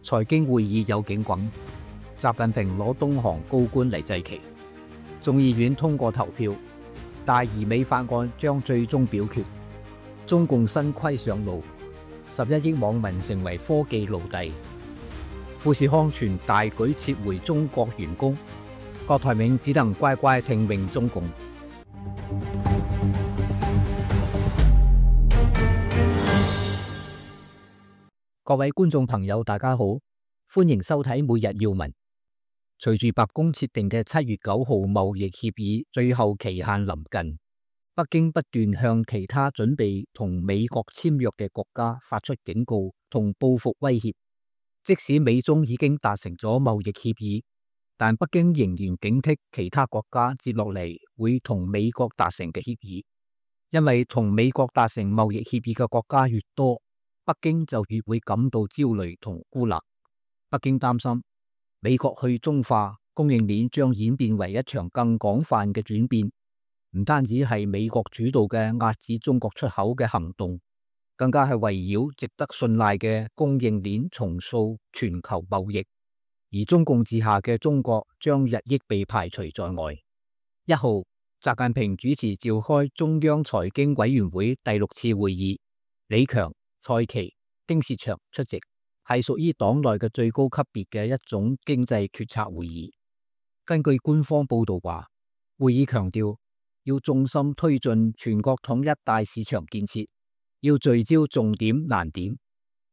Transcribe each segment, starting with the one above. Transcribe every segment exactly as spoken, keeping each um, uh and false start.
財經會議有警棍，習近平攞東航高官嚟祭旗。眾議院通過投票，大而美法案將最終表決。中共新規上路，十一億網民成為科技奴隸。富士康全大舉撤回中國員工，郭台銘只能乖乖聽命中共。各位觀眾朋友，大家好，歡迎收睇每日要聞。隨住白宮設定嘅七月九號貿易協議最後期限臨近，北京不斷向其他準備同美國簽約嘅國家發出警告同報復威脅。即使美中已經達成咗貿易協議，但北京仍然警惕其他國家接落嚟會同美國達成嘅協議，因為同美國達成貿易協議嘅國家越多，北京就越會感到焦慮同孤立。北京擔心美國去中化供應鏈將演變為一場更廣泛嘅轉變，唔單止係美國主導嘅壓制中國出口嘅行動，更加係圍繞值得信賴嘅供應鏈重塑全球貿易，而中共治下嘅中國將日益被排除在外。一號，習近平主持召開中央財經委員會第六次會議，李強、蔡奇、丁薛祥出席，係屬於黨內嘅最高級別嘅一種經濟決策會議。根據官方報道話，會議強調要重心推進全國統一大市場建設，要聚焦重點難點，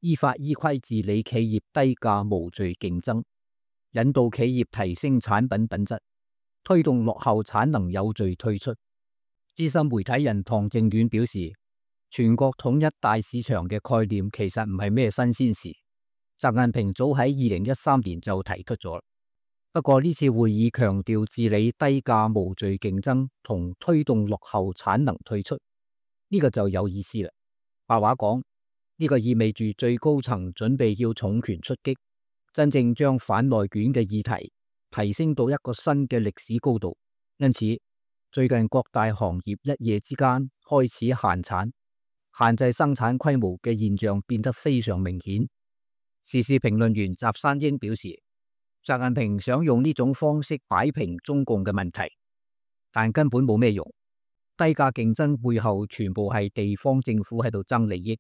依法依規治理企業低價無序競爭，引導企業提升產品品質，推動落後產能有序退出。資深媒體人唐正遠表示，全國統一大市場嘅概念其實唔係咩新鮮事，習近平早喺二零一三年就提出咗。不過呢次會議強調治理低價無序競爭同推動落後產能退出，呢個就有意思啦。白話講，呢個意味住最高層準備要重拳出擊，真正將反內卷嘅議題提升到一個新嘅歷史高度。因此，最近各大行業一夜之間開始限產、限制生產規模嘅現象變得非常明顯。時事評論員習山英表示，習近平想用呢種方式擺平中共嘅問題，但根本冇咩用。低價競爭背後全部係地方政府喺度爭利益，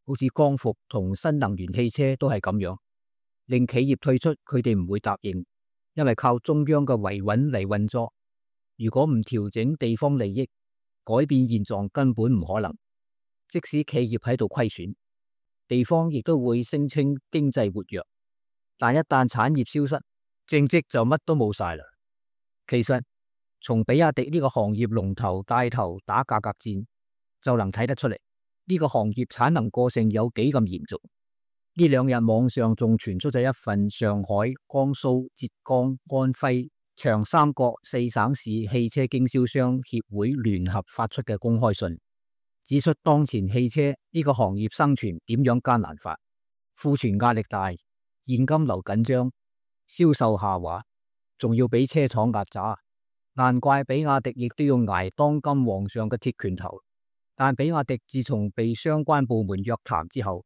好似光伏同新能源汽車都係咁樣，令企業退出，佢哋唔會答應，因為靠中央嘅維穩嚟運作。如果唔調整地方利益，改變現狀根本唔可能。即使企業喺度虧損，地方亦都會聲稱經濟活躍，但一旦產業消失，政績就乜都冇晒啦。其實從比亞迪呢個行業龍頭帶頭打價格戰就能睇得出嚟，呢個行業產能過剩有幾咁嚴重。呢兩日網上仲傳出咗一份上海、江蘇、浙江、安徽、長三角四省市汽車經銷商協會聯合發出嘅公開信，指出當前汽車呢個行業生存點樣艱難法，庫存壓力大，現金流緊張，銷售下滑，仲要俾車廠壓榨，難怪比亞迪亦都要挨當今皇上嘅鐵拳頭。但比亞迪自從被相關部門約談之後，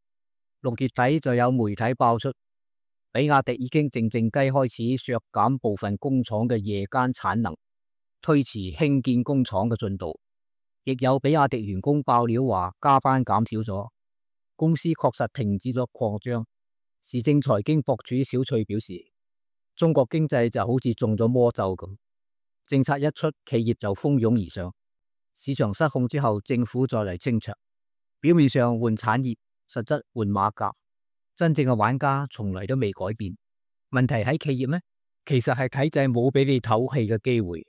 六月底就有媒體爆出，比亞迪已經靜靜雞開始削減部分工廠嘅夜間產能，推遲興建工廠嘅進度。亦有比亞迪員工爆料話加班減少咗，公司確實停止咗擴張。時政財經博主小翠表示，中國經濟就好似中咗魔咒咁，政策一出，企業就蜂擁而上，市場失控之後，政府再嚟清場，表面上換產業，實質換馬甲，真正嘅玩家從來都未改變。問題喺企業咩？其實係體制冇俾你唞氣嘅機會。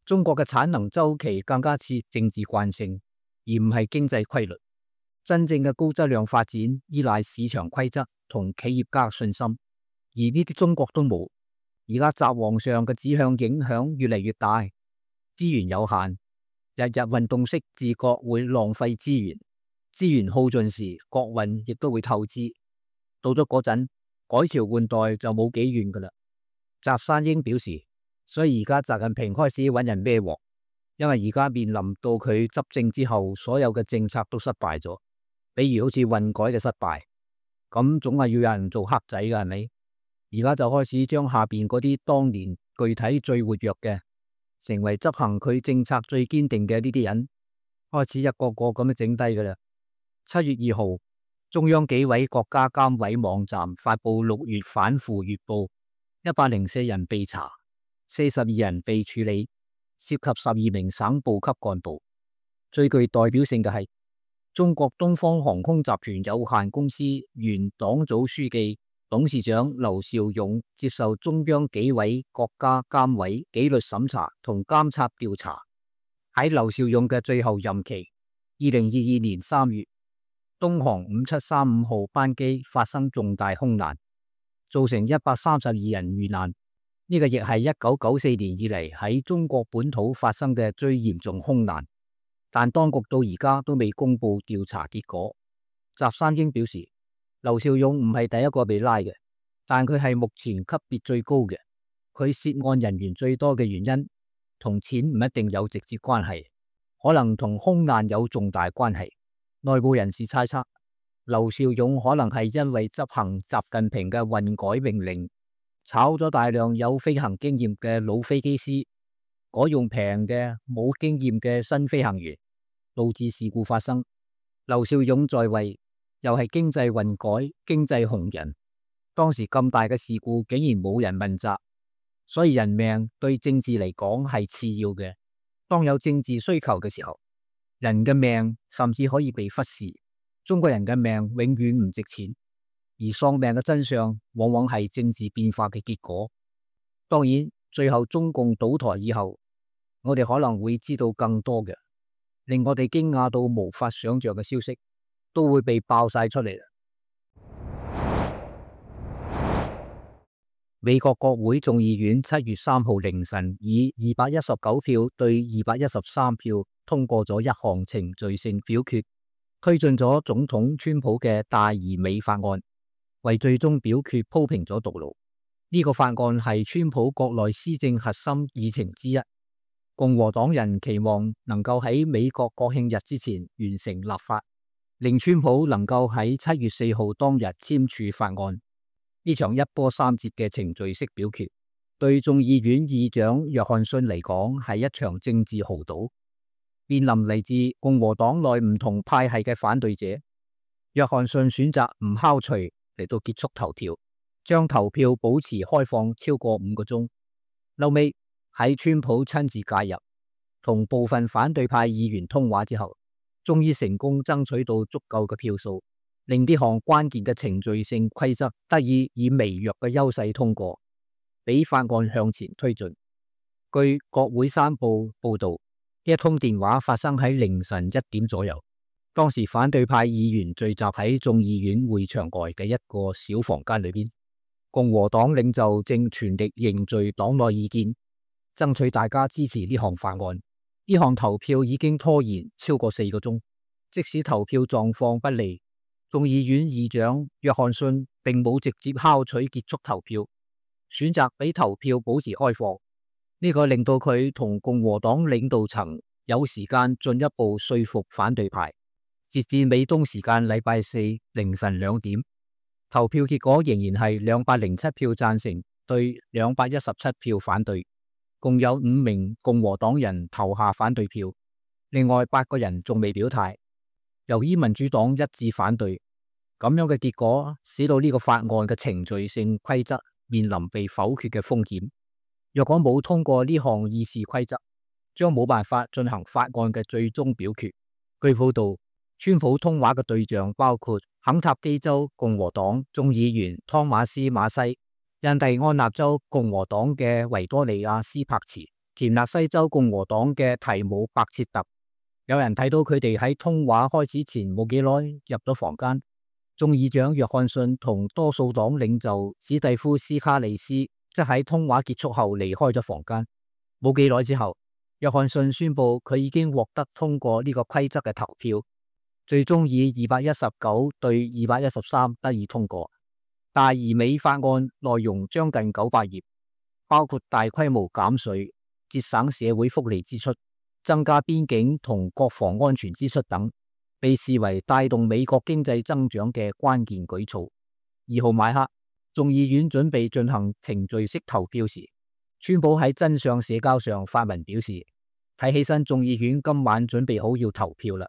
中國嘅產能周期更加似政治慣性，而唔係經濟規律。真正嘅高質量發展依賴市場規則同企業家信心，而呢啲中國都冇。而家習皇上嘅指向影響越嚟越大，資源有限，日日運動式自覺會浪費資源，資源耗盡時，國運亦都會透支。到咗嗰陣，改朝換代就冇幾遠噶啦。習山英表示，所以而家習近平開始揾人孭鑊，因為而家面臨到佢執政之後，所有嘅政策都失敗咗，比如好似混改嘅失敗，咁總係要有人做黑仔㗎，係咪？而家就開始將下邊嗰啲當年具體最活躍嘅，成為執行佢政策最堅定嘅呢啲人，開始一個個咁樣整低㗎啦。七月二號，中央紀委國家監委網站發布六月反腐月報，一百零四人被查，四十二人被處理，涉及十二名省部級幹部。最具代表性嘅係中國東方航空集團有限公司原黨組書記、董事長劉兆勇接受中央紀委國家監委紀律審查同監察調查。喺劉兆勇嘅最後任期，二零二二年三月，東航五七三五號班機發生重大空難，造成一百三十二人遇難。呢、這個亦係一九九四年以嚟喺中國本土發生嘅最嚴重空難。但當局到而家都未公布調查結果。翟山英表示，劉兆勇唔係第一個被拉嘅，但佢係目前級別最高嘅。佢涉案人員最多嘅原因同錢唔一定有直接關係，可能同空難有重大關係。內部人士猜測，劉兆勇可能係因為執行習近平嘅運改命令，炒咗大量有飛行經驗嘅老飛機師，改用平嘅冇經驗嘅新飛行員，導致事故發生。劉兆勇在位又係經濟運改、經濟紅人，當時咁大嘅事故竟然冇人問責，所以人命對政治嚟講係次要嘅。當有政治需求嘅時候，人嘅命甚至可以被忽視。中國人嘅命永遠唔值錢，而喪命嘅真相往往係政治變化嘅結果。當然，最後中共倒台以後，我哋可能會知道更多嘅令我哋驚訝到無法想象嘅消息，都會被爆晒出嚟啦。美國國會眾議院七月三號凌晨以二百一十九票對二百一十三票通過咗一項程序性表決，推進咗總統川普嘅大而美法案，為最終表決鋪平咗道路。呢、這個法案係川普國內施政核心議程之一。共和黨人期望能夠喺美國國慶日之前完成立法，令川普能夠喺七月四號當日簽署法案。呢場一波三折嘅程序式表決，對眾議院議長約翰遜嚟講係一場政治豪賭。面臨嚟自共和黨內唔同派系嘅反對者，約翰遜選擇唔敲錘嚟到結束投票，將投票保持開放超過五個鐘。後尾喺川普親自介入，同部分反對派議員通話之後，終於成功爭取到足夠嘅票數，令呢項關鍵嘅程序性規則得以以微弱嘅優勢通過，俾法案向前推進。據國會山報報道，呢一通電話發生喺凌晨一點左右，當時反對派議員聚集喺眾議院會場外嘅一個小房間裏邊，共和黨領袖正全力凝聚黨內意見，爭取大家支持呢項法案。呢項投票已經拖延超過四個鐘，即使投票狀況不利，眾議院議長約翰遜並冇直接敲取結束投票，選擇俾投票保持開放。呢、這個令到佢同共和黨領導層有時間進一步說服反對派。截至美東時間禮拜四凌晨兩點，投票結果仍然係兩百零七票贊成對兩百一十七票反對。共有五名共和黨人投下反對票，另外八個人仲未表態。由於民主黨一致反對，咁樣嘅結果使到呢個法案嘅程序性規則面臨被否決嘅風險。若果冇通過呢項議事規則，將冇辦法進行法案嘅最終表決。據報道，川普通話嘅對象包括肯塔基州共和黨眾議員湯馬斯馬西、印第安納州共和黨嘅維多利亞斯柏茨、田納西州共和黨嘅提姆伯切特。有人睇到佢哋喺通話開始前冇幾耐入咗房間。眾議長約翰遜同多數黨領袖史蒂夫斯卡利斯則喺通話結束後離開咗房間。冇幾耐之後，約翰遜宣布佢已經獲得通過呢個規則嘅投票，最終以二百一十九對二百一十三得以通過。大而美法案內容將近九百頁，包括大規模減稅、節省社會福利支出、增加邊境同國防安全支出等，被視為帶動美國經濟增長嘅關鍵舉措。二號晚黑，眾議院準備進行程序式投票時，川普喺真相社交上發文表示，睇起身眾議院今晚準備好要投票啦。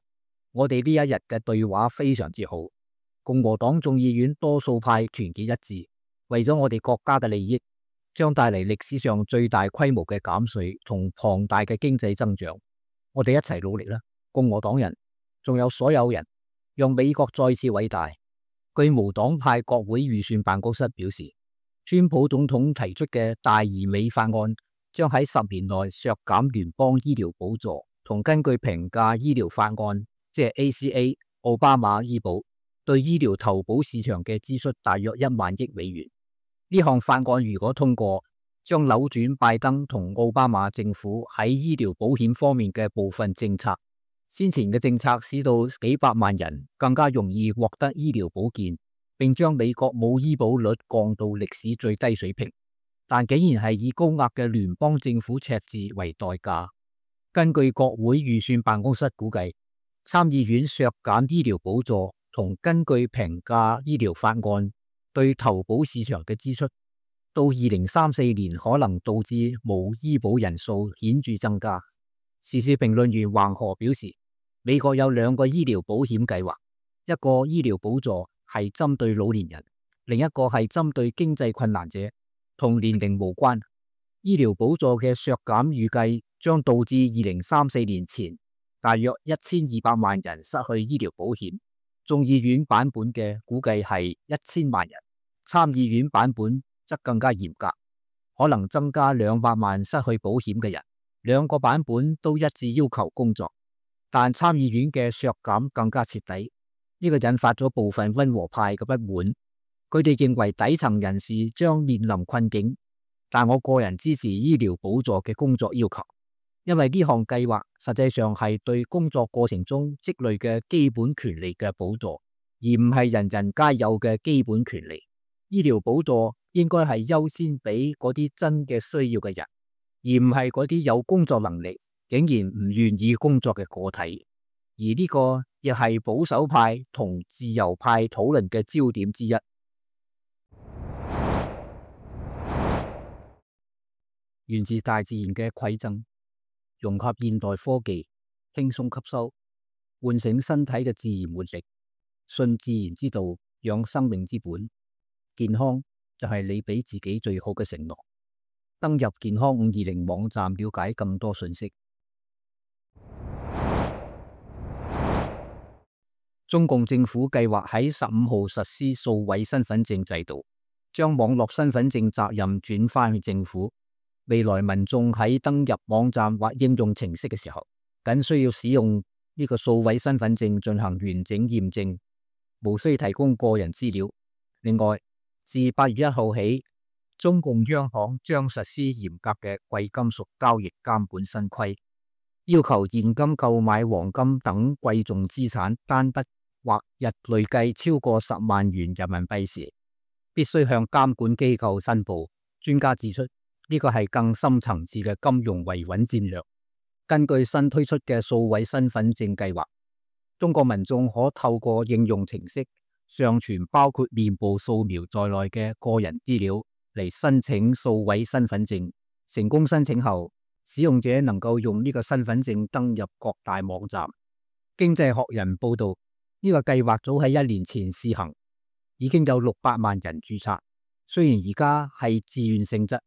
我哋呢一日嘅對話非常之好，共和黨眾議院多數派團結一致，為咗我哋國家嘅利益，將帶嚟歷史上最大規模嘅減稅同龐大嘅經濟增長。我哋一齊努力啦，共和黨人，仲有所有人，讓美國再次偉大。據無黨派國會預算辦公室表示，川普總統提出嘅大而美法案將喺十年內削減聯邦醫療補助，同根據平價醫療法案，即係 A C A 奧巴馬醫保對醫療投保市場嘅支出大約一萬億美元。呢項法案如果通過，將扭轉拜登同奧巴馬政府喺醫療保險方面嘅部分政策。先前嘅政策使到幾百萬人更加容易獲得醫療保健，並將美國冇醫保率降到歷史最低水平，但竟然係以高額嘅聯邦政府赤字為代價。根據國會預算辦公室估計，參議院削減醫療補助同根據平價醫療法案對投保市場嘅支出，到二零三四年可能導致冇醫保人數顯著增加。時事評論員橫河表示，美國有兩個醫療保險計劃，一個醫療補助係針對老年人，另一個係針對經濟困難者，同年齡無關。醫療補助嘅削減預計將導致二零三四年前大約一千二百萬人失去醫療保險。眾議院版本嘅估計係一千萬人，參議院版本則更加嚴格，可能增加兩百萬失去保險嘅人。兩個版本都一致要求工作，但參議院嘅削減更加徹底，呢個引發咗部分溫和派嘅不滿。佢哋認為底層人士將面臨困境，但我個人支持醫療補助嘅工作要求，因為呢項計劃實際上係對工作過程中積累嘅基本權利嘅補助，而唔係人人皆有嘅基本權利。醫療補助應該係優先俾嗰啲真嘅需要嘅人，而唔係嗰啲有工作能力竟然唔願意工作嘅個體。而呢個亦係保守派同自由派討論嘅焦點之一。源自大自然嘅饋贈，融合現代科技，輕鬆吸收，喚醒身體嘅自然活力，信自然之道，養生命之本。健康就係你俾自己最好嘅承諾。登入健康五二零網站了解更多信息。中共政府計劃喺十五號實施數位身份證制度，將網絡身份證責任轉返去政府。未來民眾喺登入網站或應用程式嘅時候，僅需要使用呢個數位身份證進行完整驗證，無需提供個人資料。另外，自八月一號起，中共央行將實施嚴格嘅貴金屬交易監管新規，要求現金購買黃金等貴重資產單筆或日累計超過十萬元人民幣時，必須向監管機構申報。專家指出，呢個係更深層次嘅金融維穩戰略。根據新推出嘅數位身份證計劃，中國民眾可透過應用程式上傳包括面部掃描在內嘅個人資料嚟申請數位身份證。成功申請後，使用者能夠用呢個身份證登入各大網站。經濟學人報道，呢個計劃早喺一年前試行，已經有六百萬人註冊。雖然而家係自願性質，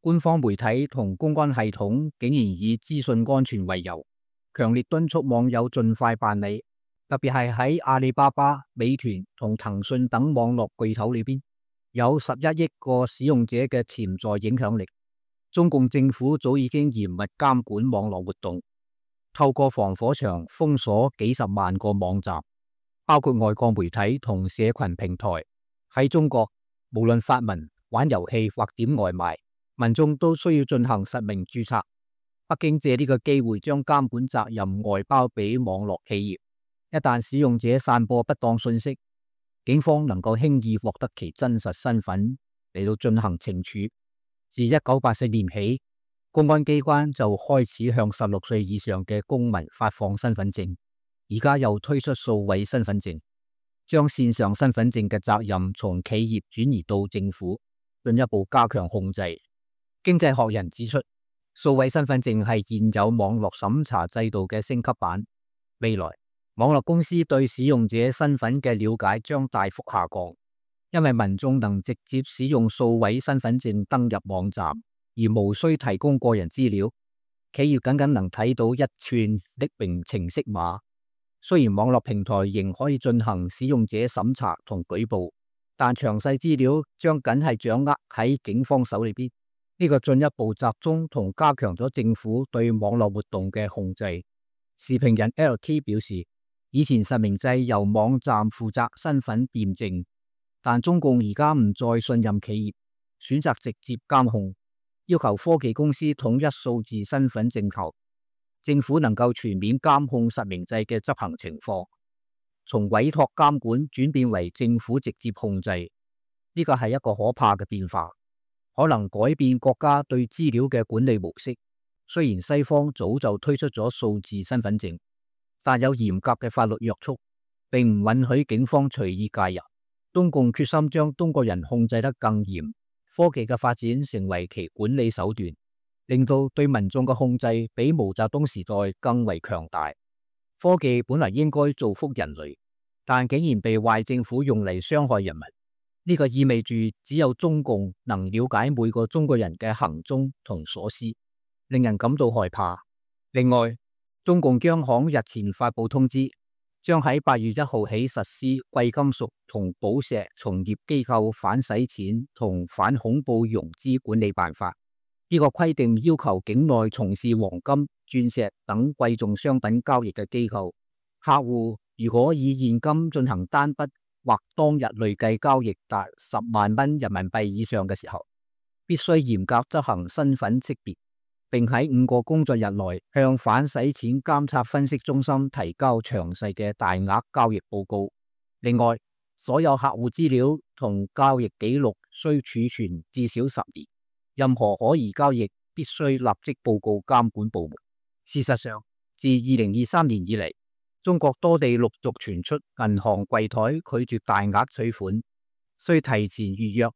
官方媒體同公關系統竟然以資訊安全為由，強烈敦促網友盡快辦理。特別係喺阿里巴巴、美團同騰訊等網絡巨頭裏邊，有十一億個使用者嘅潛在影響力。中共政府早已經嚴密監管網絡活動，透過防火牆封鎖幾十萬個網站，包括外國媒體同社群平台。喺中國，無論發文、玩遊戲或點外賣，民眾都需要進行實名註冊。北京借呢個機會將監管責任外包俾網絡企業，一旦使用者散播不當信息，警方能夠輕易獲得其真實身份嚟到進行懲處。自一九八四年起，公安機關就開始向十六歲以上嘅公民發放身份證，而家又推出數位身份證。將線上身份證嘅責任從企業轉移到政府，進一步加強控制。經濟學人指出，數位身份證係現有網絡審查制度嘅升級版。未來，網絡公司對使用者身份嘅了解將大幅下降，因為民眾能直接使用數位身份證登入網站，而無需提供個人資料。企業僅僅能睇到一串匿名程式碼。雖然網絡平台仍可以進行使用者審查同舉報，但詳細資料將僅係掌握喺警方手裏邊。呢個進一步集中同加強咗政府對網絡活動嘅控制。時評人 L T 表示，以前實名制由網站負責身份驗證，但中共而家唔再信任企業，選擇直接監控，要求科技公司統一數字身份證後，政府能夠全面監控實名制嘅執行情況，從委託監管轉變為政府直接控制，呢個係一個可怕嘅變化，可能改變國家對資料嘅管理模式。雖然西方早就推出咗數字身份證，但有嚴格嘅法律約束，並唔允許警方隨意介入。中共決心將中國人控制得更嚴，科技嘅發展成為其管理手段，令到對民眾嘅控制比毛澤東時代更為強大。科技本來應該造福人類，但竟然被壞政府用嚟傷害人民。呢個意味住只有中共能了解每個中國人嘅行蹤同所思，令人感到害怕。另外，中共央行日前發布通知，將喺八月一號起實施貴金屬同寶石從業機構反洗錢同反恐怖融資管理辦法。呢個規定要求境內從事黃金、鑽石等貴重商品交易嘅機構，客戶如果以現金進行單筆或當日累計交易達十萬蚊人民幣以上嘅時候，必須嚴格執行身份識別，並喺五個工作日內向反洗錢監察分析中心提交詳細嘅大額交易報告。另外，所有客戶資料同交易記錄需儲存至少十年。任何可疑交易必須立即報告監管部門。事實上，自二零二三年以嚟，中國多地陸續傳出銀行櫃台拒絕大額取款、需提前預約、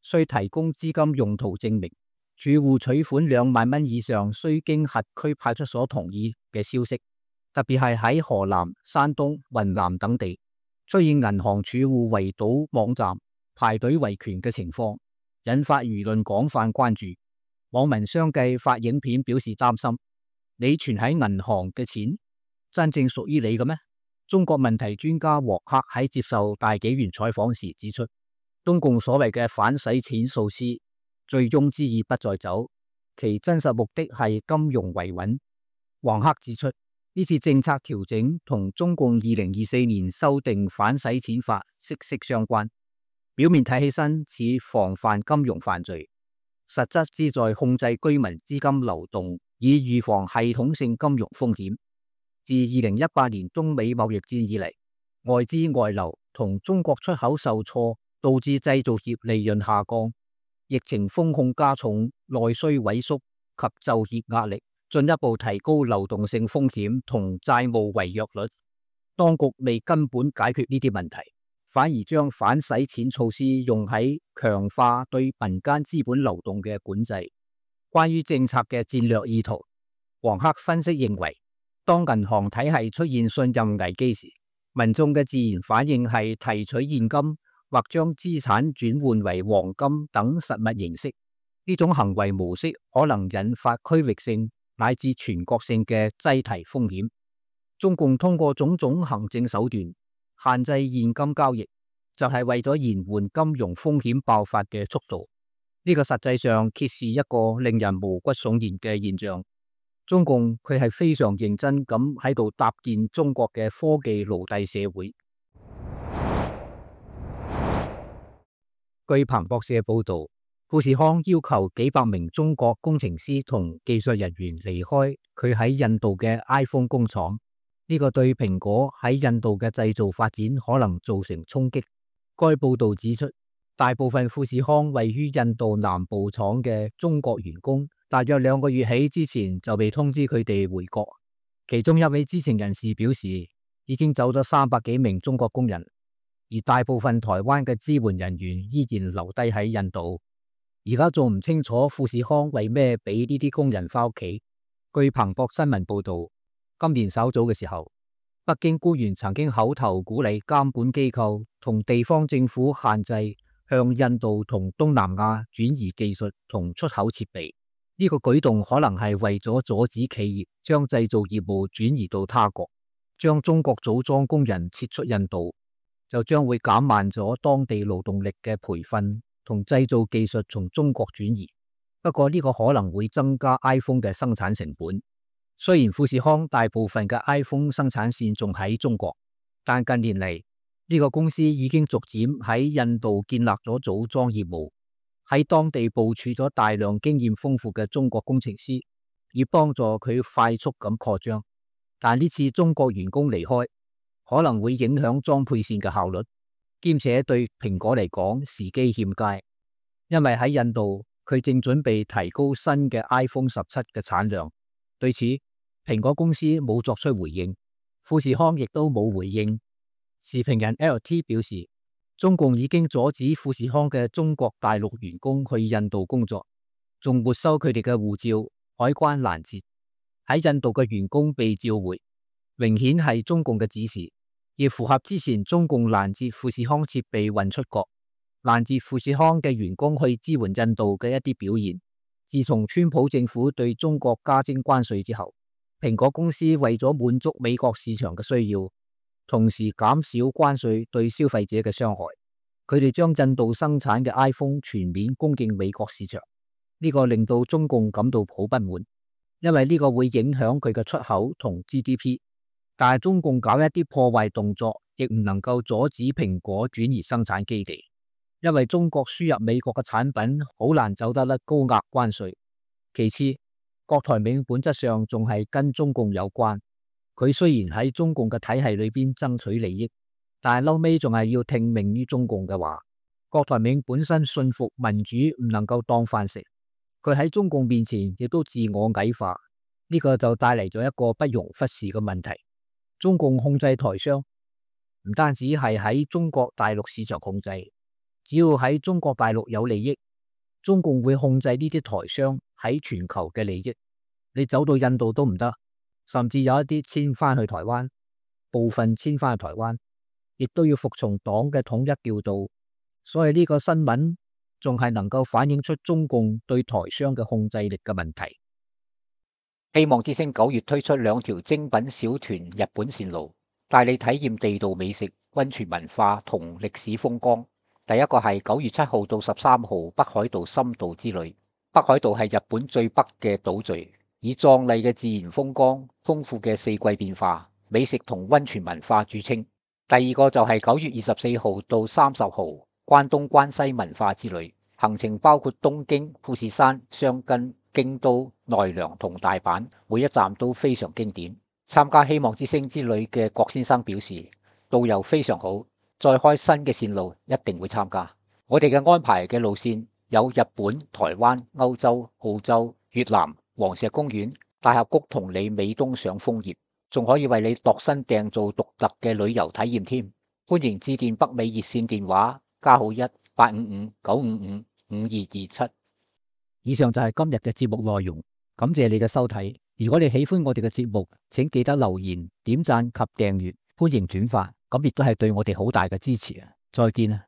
需提供資金用途證明、儲戶取款兩萬蚊以上需經轄區派出所同意嘅消息。特別係喺河南、山東、雲南等地，出現銀行儲戶圍堵網站、排隊維權嘅情況，引發輿論廣泛關注。網民相繼發影片表示擔心：你存喺銀行嘅錢真正屬於你嘅咩？中國問題專家王克喺接受大紀元採訪時指出，中共所謂嘅反洗錢措施，醉翁之意不在酒，其真實目的係金融維穩。王克指出，呢次政策調整同中共二零二四年修訂反洗錢法息息相關。表面睇起身似防範金融犯罪，實質旨在控制居民資金流動，以預防系統性金融風險。自二零一八年中美貿易戰以嚟，外資外流同中國出口受挫，導致製造業利潤下降。疫情風控加重內需萎縮及就業壓力，進一步提高流動性風險同債務違約率。當局未根本解決呢啲問題，反而將反洗錢措施用喺強化對民間資本流動嘅管制。關於政策嘅戰略意圖，王克分析認為，當銀行體系出現信任危機時，民眾嘅自然反應係提取現金或將資產轉換為黃金等實物形式。呢種行為模式可能引發區域性乃至全國性嘅擠提風險。中共通過種種行政手段限制現金交易，就係為咗延緩金融風險爆發嘅速度。呢個實際上揭示一個令人毛骨悚然嘅現象。中共佢係非常認真咁喺度搭建中國嘅科技奴隸社會。據彭博社報道，富士康要求幾百名中國工程師同技術人員離開佢喺印度嘅 iPhone 工廠。呢個對蘋果喺印度嘅製造發展可能造成衝擊。該報道指出，大部分富士康位於印度南部廠嘅中國員工，大約兩個月起之前就被通知佢哋回國。其中一位知情人士表示，已經走咗三百幾名中國工人。而大部分台灣嘅支援人員依然留低喺印度。而家仲唔清楚富士康為咩俾呢啲工人返屋企。據彭博新聞報道，今年稍早嘅時候，北京官員曾經口頭鼓勵監管機構同地方政府限制向印度同東南亞轉移技術同出口設備。呢個舉動可能係為咗阻止企業將製造業務轉移到他國，將中國組裝工人撤出印度，就將會減慢咗當地勞動力嘅培訓同製造技術從中國轉移。不過呢個可能會增加 iPhone 嘅生產成本。雖然富士康大部分嘅 iPhone 生產線仲喺中國，但近年嚟呢個公司已經逐漸喺印度建立咗組裝業務，喺當地部署咗大量經驗豐富嘅中國工程師，以幫助佢快速咁擴張。但呢次中國員工離開，可能會影響裝配線嘅效率，兼且對蘋果嚟講時機欠佳，因為喺印度佢正準備提高新嘅 iPhone 十七嘅產量。對此，蘋果公司冇作出回應，富士康亦都冇回應。時評人 L T 表示，中共已經阻止富士康嘅中國大陸員工去印度工作，仲沒收佢哋嘅護照，海關攔截。喺印度嘅員工被召回，明顯係中共嘅指示，亦符合之前中共攔截富士康設備運出國、攔截富士康嘅員工去支援印度嘅一啲表現。自從川普政府對中國加徵關稅之後，蘋果公司為咗滿足美國市場嘅需要，同時減少關稅對消費者嘅傷害，佢哋將印度生產嘅 iPhone 全面供應美國市場。呢個令到中共感到好不滿，因為呢個會影響佢嘅出口同 G D P。但係中共搞一啲破壞動作，亦唔能夠阻止蘋果轉移生產基地。因為中國輸入美國嘅產品好難走得甩高額關稅。其次，郭台銘本質上仲係跟中共有關，佢雖然喺中共嘅體系裏邊爭取利益，但係嬲尾仲係要聽命於中共嘅話。郭台銘本身信服民主唔能夠當飯食，佢喺中共面前亦都自我矮化，呢個就帶嚟咗一個不容忽視嘅問題。中共控制台商，唔單止係喺中國大陸市場控制。只要喺中國大陸有利益，中共會控制呢啲台商喺全球嘅利益。你走到印度都唔得，甚至有一啲遷翻去台灣，部分遷翻去台灣，亦都要服從黨嘅統一調度。所以呢個新聞仲係能夠反映出中共對台商嘅控制力嘅問題。希望之星九月推出兩條精品小團日本線路，帶你體驗地道美食、溫泉文化同歷史風光。第一個係九月七號到十三號北海道深度之旅。北海道係日本最北嘅島嶼，以壯麗嘅自然風光、豐富嘅四季變化、美食同溫泉文化著稱。第二個就係九月二十四號到三十號關東關西文化之旅，行程包括東京、富士山、箱根、京都、奈良同大阪，每一站都非常經典。參加希望之星之旅嘅郭先生表示，導遊非常好。再開新嘅線路一定會參加。我哋嘅安排嘅路線有日本、台灣、歐洲、澳洲、越南、黃石公園、大峽谷同你美東賞楓葉，仲可以為你度身訂造獨特嘅旅遊體驗添。歡迎致電北美熱線電話加號一八五五九五五五二二七。以上就係今日嘅節目內容，感謝你嘅收睇。如果你喜歡我哋嘅節目，請記得留言、點讚及訂閱，歡迎轉發。咁亦都係對我哋好大嘅支持啊！再見啊！